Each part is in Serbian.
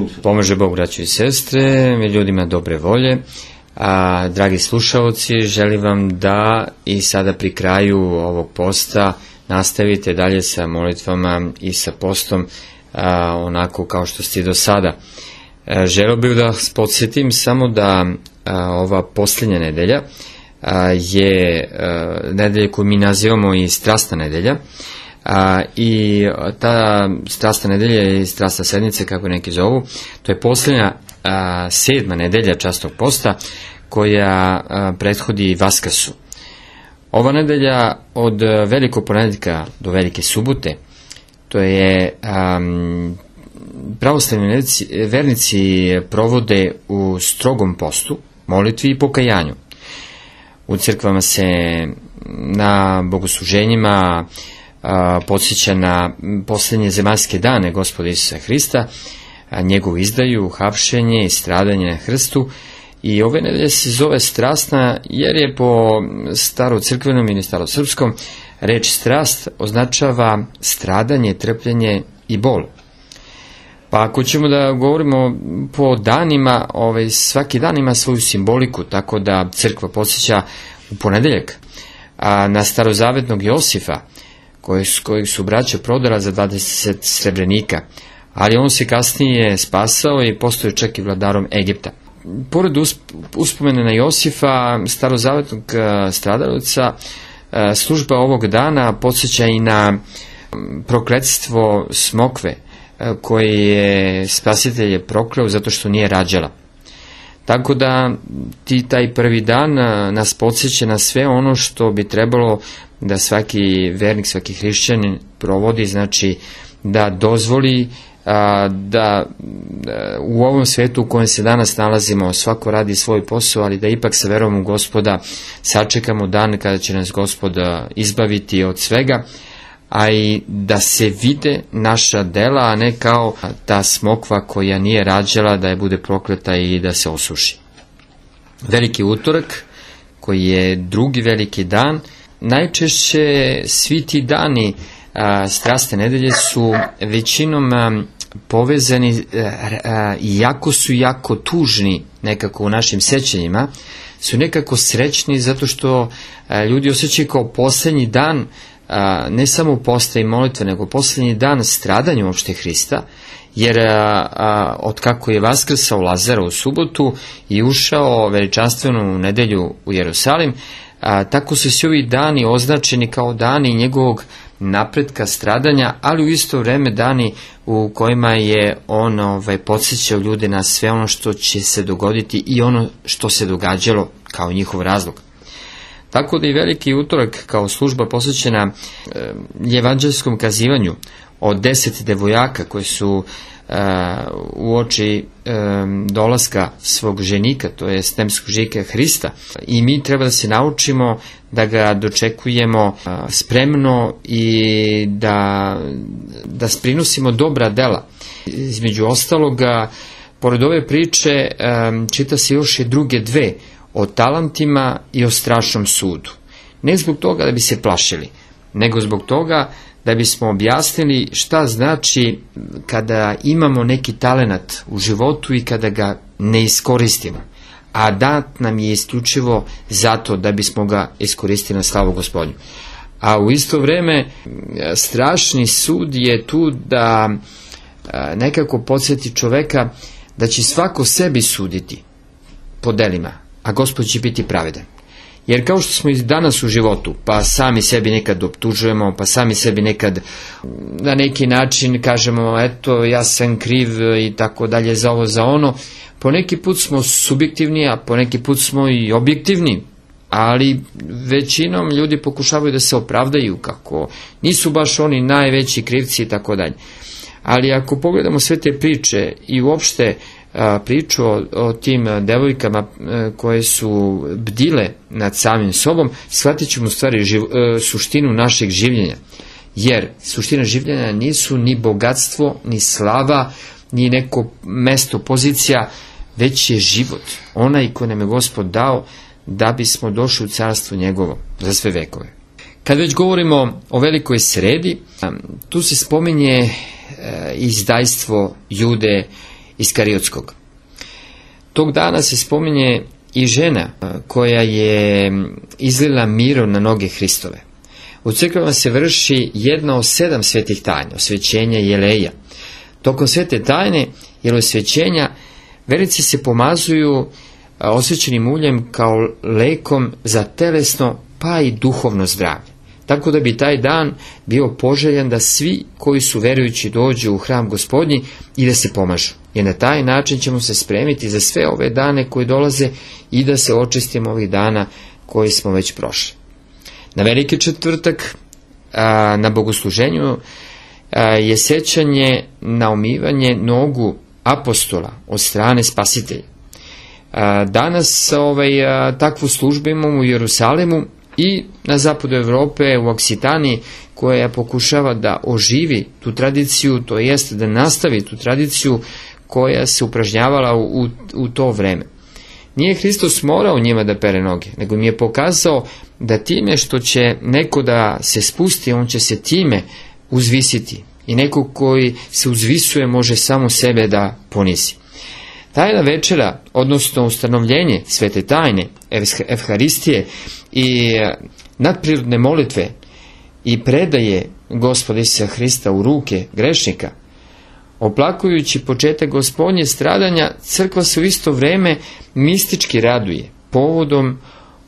Bog. Pomaže Bog, braćo i sestre, ljudima dobre volje. Dragi slušaoci, želim vam da i sada pri kraju ovog posta nastavite dalje sa molitvama i sa postom onako kao što ste do sada. Želeo bih da vas podsjetim samo da ova posljednja nedelja je nedelja koju mi nazivamo i strasna nedelja, i ta strasna nedelja i strasna sedmica, kako neki zovu, to je posljednja 7. nedelja časnog posta koja prethodi Vaskrsu. Ova nedelja od velikog ponedjeljka do velike subote, to je pravoslavni vernici provode u strogom postu, molitvi i pokajanju. U crkvama se na bogosluženjima podsjeća na posljednje zemaljske dane Gospoda Isusa Hrista, njegovu izdaju, hapšenje i stradanje na krstu. I ove nedelje se zove strasna jer je po starocrkvenom ili starosrpskom reč strast označava stradanje, trpljenje i bol. Pa ako ćemo da govorimo po danima, svaki dan ima svoju simboliku, tako da crkva podsjeća u ponedjeljak na starozavetnog Josifa, kojeg su braća prodala za 20 srebrenika, ali on se kasnije spasao i postao čak i vladarom Egipta. Pored uspomene na Josifa, starozavetnog stradalca, služba ovog dana podsjeća i na prokletstvo smokve, koje je spasitelj prokleo zato što nije rađala. Tako da taj prvi dan nas podsjeća na sve ono što bi trebalo da svaki vernik, svaki hrišćanin provodi, znači da dozvoli da u ovom svijetu u kojem se danas nalazimo svako radi svoj posao, ali da ipak sa verom u Gospoda sačekamo dan kada će nas Gospod izbaviti od svega, a i da se vide naša dela, a ne kao ta smokva koja nije rađala, da je bude prokleta i da se osuši. Veliki utorak, koji je drugi veliki dan, najčešće svi ti dani strasne nedelje su većinom povezani, iako su jako tužni nekako u našim sećanjima, su nekako srećni zato što ljudi osjećaju kao posljednji dan ne samo posta i molitve, nego posljednji dan stradanja uopšte Hrista, jer od kako je vaskrsao Lazara u subotu i ušao veličanstvenu nedelju u Jerusalim, tako su svi ovi dani označeni kao dani njegovog napretka, stradanja, ali u isto vrijeme dani u kojima je on podsjećao ljude na sve ono što će se dogoditi i ono što se događalo kao njihov razlog. Tako da i veliki utorak kao služba posvećena evanđelskom kazivanju od 10 devojaka koji su uoči dolaska svog ženika, to je stemskog ženika Hrista, i mi treba da se naučimo da ga dočekujemo spremno i da prinosimo dobra dela. Između ostaloga, pored ove priče čita se još i druge dve, o talentima i o strašnom sudu. Ne zbog toga da bi se plašili, nego zbog toga da bismo objasnili šta znači kada imamo neki talenat u životu i kada ga ne iskoristimo, a dat nam je isključivo zato da bismo ga iskoristili na slavu Gospodnju. A u isto vrijeme strašni sud je tu da nekako podsjeti čoveka da će svako sebi suditi po delima, a Gospod će biti pravedan. Jer kao što smo i danas u životu, pa sami sebi nekad optužujemo, pa sami sebi nekad na neki način kažemo, eto, ja sam kriv i tako dalje za ovo, za ono, po neki put smo subjektivni, a po neki put smo i objektivni, ali većinom ljudi pokušavaju da se opravdaju kako nisu baš oni najveći krivci i tako dalje. Ali ako pogledamo sve te priče i uopšte priču o tim devojkama koje su bdile nad samim sobom, shvatit ćemo u stvari suštinu našeg življenja. Jer suština življenja nisu ni bogatstvo, ni slava, ni neko mesto, pozicija, već je život. Onaj koji nam je Gospod dao da bismo došli u carstvo njegovo za sve vekove. Kad već govorimo o velikoj sredi, tu se spominje izdajstvo Jude Iskariotskog. Tog dana se spominje i žena koja je izlila miro na noge Hristove. U crkvama se vrši jedna od 7 svetih tajna, osvećenja i jeleja. Tokom svete tajne ili osvećenja vernici se pomazuju osvećenim uljem kao lekom za telesno pa i duhovno zdravlje. Tako da bi taj dan bio poželjan da svi koji su verujući dođu u hram Gospodnji i da se pomažu. Jer na taj način ćemo se spremiti za sve ove dane koji dolaze i da se očistimo ovih dana koji smo već prošli. Na Veliki četvrtak na bogosluženju je sećanje na umivanje nogu apostola od strane Spasitelja. Danas takvu službu imamo u Jerusalimu i na zapadu Evrope, u Oksitaniji, koja pokušava da oživi tu tradiciju, to jest da nastavi tu tradiciju koja se upražnjavala u to vreme. Nije Hristos morao njima da pere noge, nego mi je pokazao da time što će neko da se spusti, on će se time uzvisiti. I neko koji se uzvisuje može samo sebe da ponisi. Tajna večera, odnosno ustanovljenje svete tajne, Evharistije i nadprirodne molitve i predaje Gospoda Isusa Hrista u ruke grešnika, oplakujući početak Gospodnje stradanja, crkva se u isto vreme mistički raduje povodom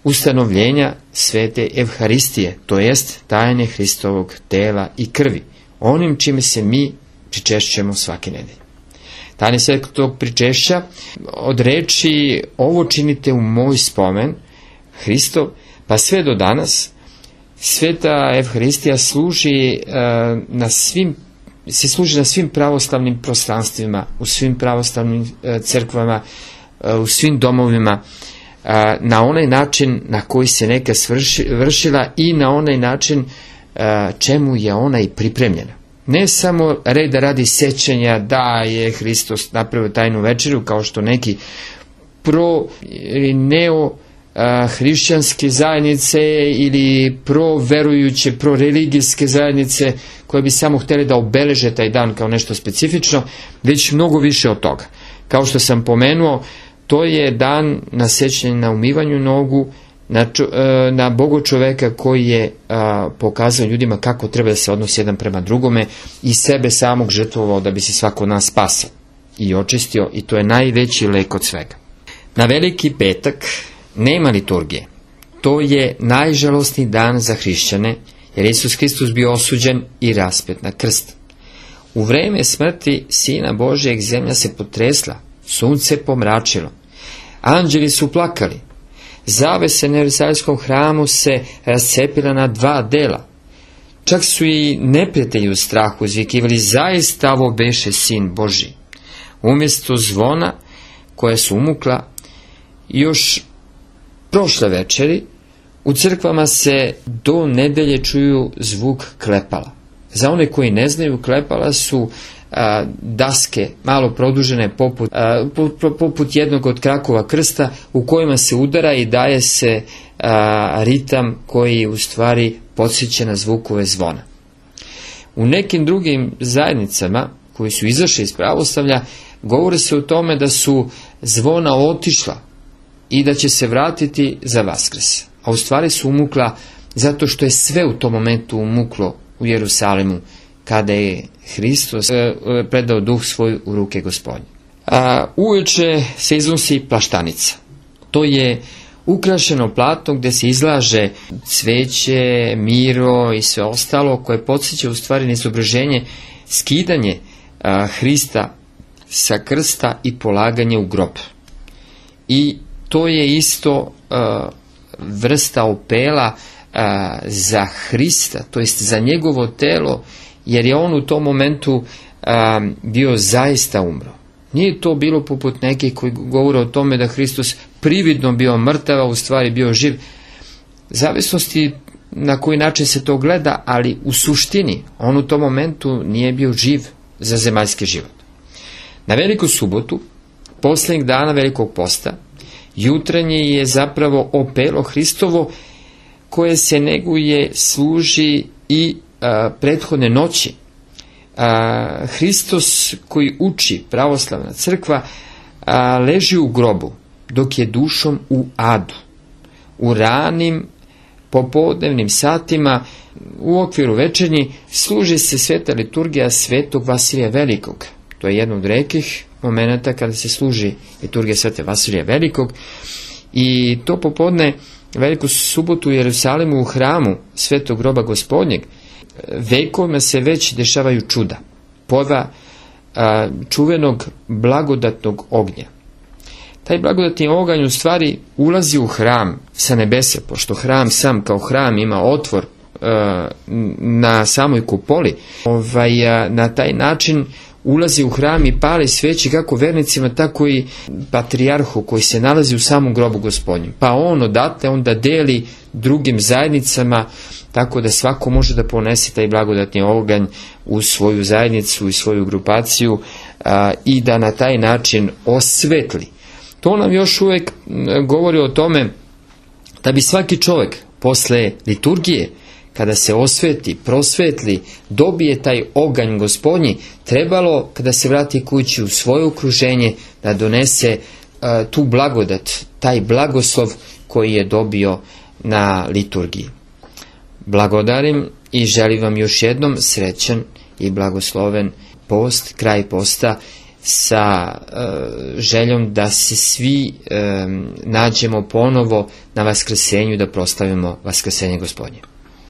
ustanovljenja svete Evharistije, to jest tajne Hristovog tela i krvi, onim čime se mi pričešćujemo svake nedelje. Tajne svetog pričešća od reči ovo činite u moj spomen, Hristov, pa sve do danas, sveta Evharistija služi na svim pravoslavnim prostranstvima, u svim pravoslavnim crkvama, u svim domovima, na onaj način na koji se neka vršila i na onaj način čemu je ona i pripremljena. Ne samo reda radi sećanja da je Hristos napravio tajnu večeru, kao što neki ili neo-hrišćanske zajednice ili pro-verujuće, pro-religijske zajednice koje bi samo htjeli da obeleže taj dan kao nešto specifično, već mnogo više od toga. Kao što sam pomenuo, to je dan na sećanje na umivanju nogu, na Bogo čoveka koji je pokazao ljudima kako treba da se odnosi jedan prema drugome i sebe samog žrtvovao da bi se svako od nas spasao i očistio, i to je najveći lek od svega. Na Veliki petak nema liturgije. To je najžalosniji dan za hrišćane, jer Isus Hristos bio osuđen i raspet na krst. U vreme smrti Sina Božijeg zemlja se potresla, sunce pomračilo, anđeli su plakali, zavese na Jerusalimskom hramu se rascepila na 2 dela. Čak su i neprijatelji u strahu izvikivali, zaista ovo beše Sin Božji. Umjesto zvona koja su umukla još prošle večeri, u crkvama se do nedelje čuju zvuk klepala. Za one koji ne znaju, klepala su daske malo produžene poput jednog od krakova krsta u kojima se udara i daje se ritam koji u stvari podsjeća na zvukove zvona. U nekim drugim zajednicama koji su izašli iz pravoslavlja govori se o tome da su zvona otišla i da će se vratiti za Vaskrs, a u stvari su umukla zato što je sve u tom momentu umuklo u Jerusalimu kada je Hristos predao duh svoj u ruke Gospodnje. Uveče se iznosi plaštanica. To je ukrašeno platno gdje se izlaže cveće, miro i sve ostalo koje podsjeća u stvari na izobraženje, skidanje Hrista sa krsta i polaganje u grob. I to je isto vrsta opela za Hrista, to jest za njegovo telo, jer je on u tom momentu bio zaista umro. Nije to bilo poput nekih koji govore o tome da Hristos prividno bio mrtav, a u stvari bio živ. Zavisnosti na koji način se to gleda, ali u suštini on u tom momentu nije bio živ za zemaljski život. Na Veliku subotu, posljednjeg dana Velikog posta, jutranje je zapravo opelo Hristovo koje se neguje, služi i prethodne noći Hristos koji uči pravoslavna crkva leži u grobu, dok je dušom u adu. U ranim popodnevnim satima u okviru večernji služi se sveta liturgija svetog Vasilija Velikog. To je jedno od retkih momenata kada se služi liturgija svete Vasilija Velikog, i to popodne Veliku subotu u Jerusalimu u hramu svetog groba Gospodnjeg vekovima se već dešavaju čuda, pojava čuvenog blagodatnog ognja. Taj blagodatni oganj u stvari ulazi u hram sa nebesa, pošto hram sam kao hram ima otvor na samoj kupoli. Na taj način ulazi u hram i pali sveće kako vernicima, tako i patrijarhu koji se nalazi u samom grobu Gospodnjem. Pa on odatle onda deli drugim zajednicama, tako da svako može da ponese taj blagodatni oganj u svoju zajednicu i svoju grupaciju i da na taj način osvetli. To nam još uvijek govori o tome da bi svaki čovjek posle liturgije, kada se osveti, prosvetli, dobije taj oganj Gospodnji, trebalo, kada se vrati kući u svoje okruženje, da donese tu blagodat, taj blagoslov koji je dobio na liturgiji. Blagodarim i želim vam još jednom srećan i blagosloven post, kraj posta, sa željom da se svi nađemo ponovo na Vaskrsenju, da proslavimo Vaskrsenje Gospodnje.